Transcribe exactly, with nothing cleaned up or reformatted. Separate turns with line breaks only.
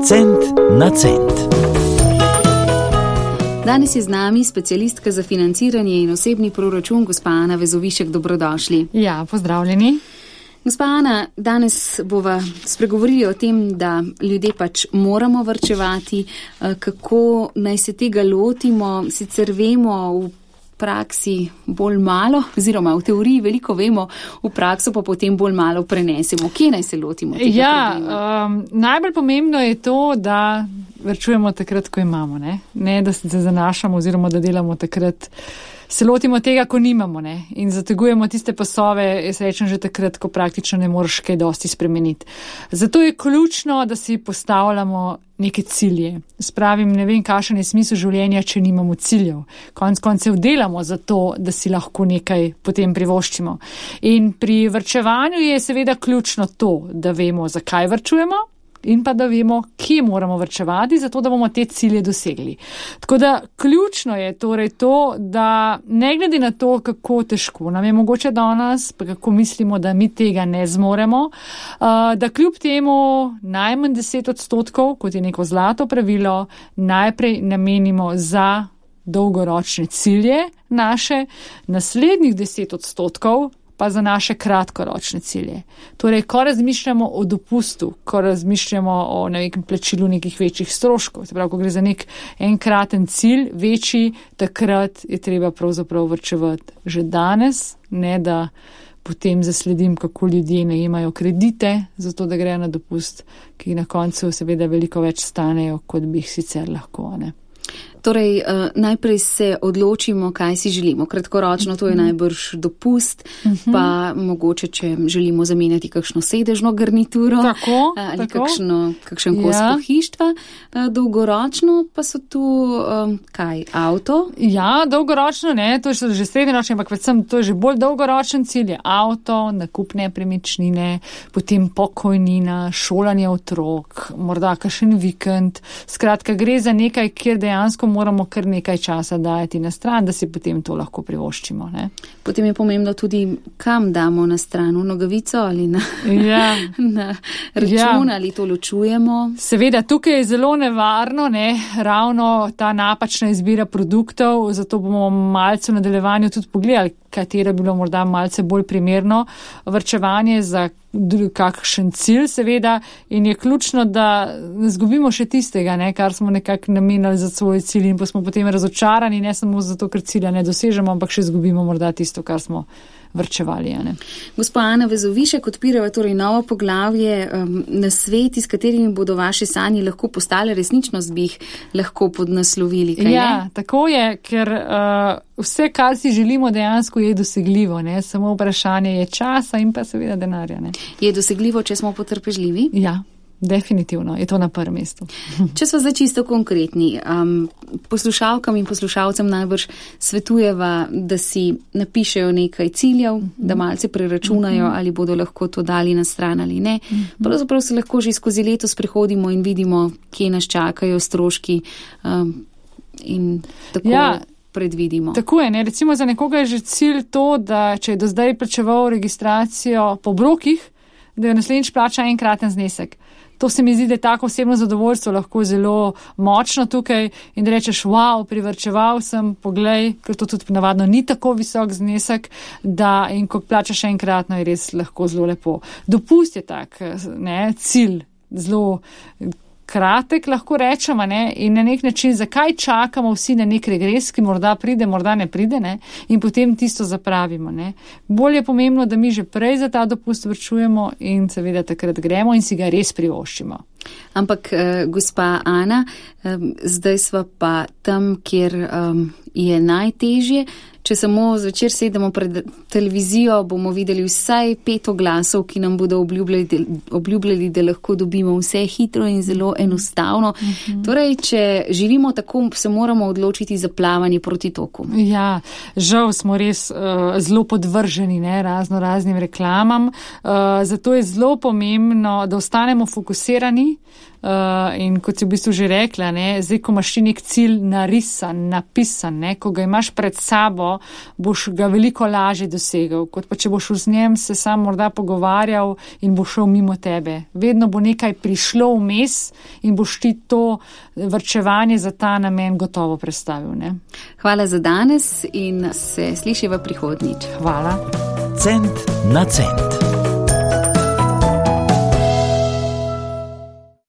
Cent na cent.
Danes je z nami specialistka za financiranje in osebni proračun, gospa Ana Vezovišek. Dobrodošli.
Ja, pozdravljeni.
Gospa Ana, danes bova spregovorili o tem, da ljudje pač moramo varčevati, kako naj se tega lotimo. Sicer vemo v praksi bolj malo, oziroma v teoriji veliko vemo, v prakso pa potem bolj malo prenesemo. Kje naj se lotimo tega
ja,
problema?
Um, najbolj pomembno je to, da varčujemo takrat, ko imamo, ne, ne da se zanašamo oziroma da delamo takrat, se lotimo tega, ko nimamo, ne, in zategujemo tiste pasove, jaz rečem že takrat, ko praktično ne moreš kaj dosti spremeniti. Zato je ključno, da si postavljamo neke cilje. Spravim, ne vem, kakšen je smisel življenja, če nimamo ciljev. Konec koncev delamo za to, da si lahko nekaj potem privoščimo. In pri varčevanju je seveda ključno to, da vemo, zakaj varčujemo, in pa da vemo, kje moramo varčevati, zato da bomo te cilje dosegli. Tako da ključno je torej to, da ne glede na to, kako težko nam je mogoče danes, pa kako mislimo, da mi tega ne zmoremo, da kljub temu najmanj deset odstotkov, kot je neko zlato pravilo, najprej namenimo za dolgoročne cilje naše, naslednjih deset odstotkov pa za naše kratkoročne cilje. Torej, ko razmišljamo o dopustu, ko razmišljamo o nekem plačilu nekih večjih stroškov, se pravi, ko gre za nek enkraten cilj, večji, takrat je treba pravzaprav varčevati že danes, ne da potem zasledim, kako ljudje najemajo kredite, zato da grejo na dopust, ki na koncu seveda veliko več stanejo, kot bi jih sicer lahko, ne.
Torej, uh, najprej se odločimo, kaj si želimo. Kratkoročno to je najbrž dopust, uh-huh. pa mogoče, če želimo zamenjati kakšno sedežno garnituro
tako,
ali
tako.
Kakšno, kakšen kos
ja.
pohištva. Uh, dolgoročno pa so tu, um, kaj, avto?
Ja, dolgoročno ne, to je že srednjeročno, ampak predvsem to je že bolj dolgoročen cilj, je avto, nakup nepremičnine, potem pokojnina, šolanje otrok, morda kakšen vikend. Skratka, gre za nekaj, kjer dejansko moramo kar nekaj časa dajati na stran, da si potem to lahko privoščimo. Ne?
Potem je pomembno tudi, kam damo na stran, v nogavico ali na,
ja.
na račun, ja. ali to ločujemo.
Seveda, tukaj je zelo nevarno, ne, ravno ta napačna izbira produktov, zato bomo malce v nadaljevanju tudi pogledali, katero bi bilo morda malce bolj primerno varčevanje za kakšen cilj, seveda, in je ključno, da ne zgubimo še tistega, ne, kar smo nekako namenili za svoj cilj in pa smo potem razočarani, ne samo zato, ker cilja ne dosežemo, ampak še zgubimo morda tisto, kar smo vrčevali. Ne.
Gospa Ana Vezovišek, odpirava torej novo poglavje, um, na sveti, s katerimi bodo vaše sanje lahko postale resničnost, bi jih lahko podnaslovili. Kaj,
ja,
ne?
Tako je, ker uh, vse, kar si želimo, dejansko je dosegljivo, ne, samo vprašanje je časa in pa seveda denarja. Ne.
Je dosegljivo, če smo potrpežljivi?
Ja. Definitivno, je to na prvem mestu.
Če smo zdaj čisto konkretni, um, poslušalkam in poslušalcem najbrž svetujeva, da si napišejo nekaj ciljev, uh-huh. da malce preračunajo, uh-huh. ali bodo lahko to dali na stran ali ne. Uh-huh. Pravzaprav se lahko že skozi leto sprehodimo in vidimo, kje nas čakajo stroški um, in tako ja. predvidimo.
Tako je, ne? Recimo za nekoga je že cilj to, da če je do zdaj plačeval registracijo po obrokih, da jo naslednjič plača enkraten znesek. To se mi zdi, da je tako osebno zadovoljstvo lahko zelo močno tukaj in da rečeš, wow, privrčeval sem, poglej, ker to tudi navadno ni tako visok znesek, da in ko plačaš enkratno, je res lahko zelo lepo. Dopust je tak, ne, cilj, zelo kratek, lahko rečemo, ne, in na nek način, zakaj čakamo vsi na nek regres, ki morda pride, morda ne pride, ne, in potem tisto zapravimo, ne. Bolje je pomembno, da mi že prej za ta dopust vrčujemo in seveda takrat gremo in si ga res privoščimo.
Ampak, eh, gospa Ana, eh, zdaj sva pa tam, kjer eh, je najtežje. Če samo zvečer sedemo pred televizijo, bomo videli vsaj pet oglasov, ki nam bodo obljubljali, obljubljali, da lahko dobimo vse hitro in zelo enostavno. Mm-hmm. Torej, če živimo tako, se moramo odločiti za plavanje proti toku.
Ja, žal smo res uh, zelo podvrženi, ne, razno raznim reklamam. Uh, zato je zelo pomembno, da ostanemo fokusirani. Uh, in kot si v bistvu že rekla, ne, zdaj, ko imaš nek cilj narisan, napisan, ne? Ko ga imaš pred sabo, boš ga veliko lažje dosegel, kot pa če boš z njem se sam morda pogovarjal in bo šel mimo tebe. Vedno bo nekaj prišlo vmes in boš ti to varčevanje za ta namen gotovo predstavil. Ne?
Hvala za danes in se slišiva prihodnjič.
Hvala.
Cent na cent.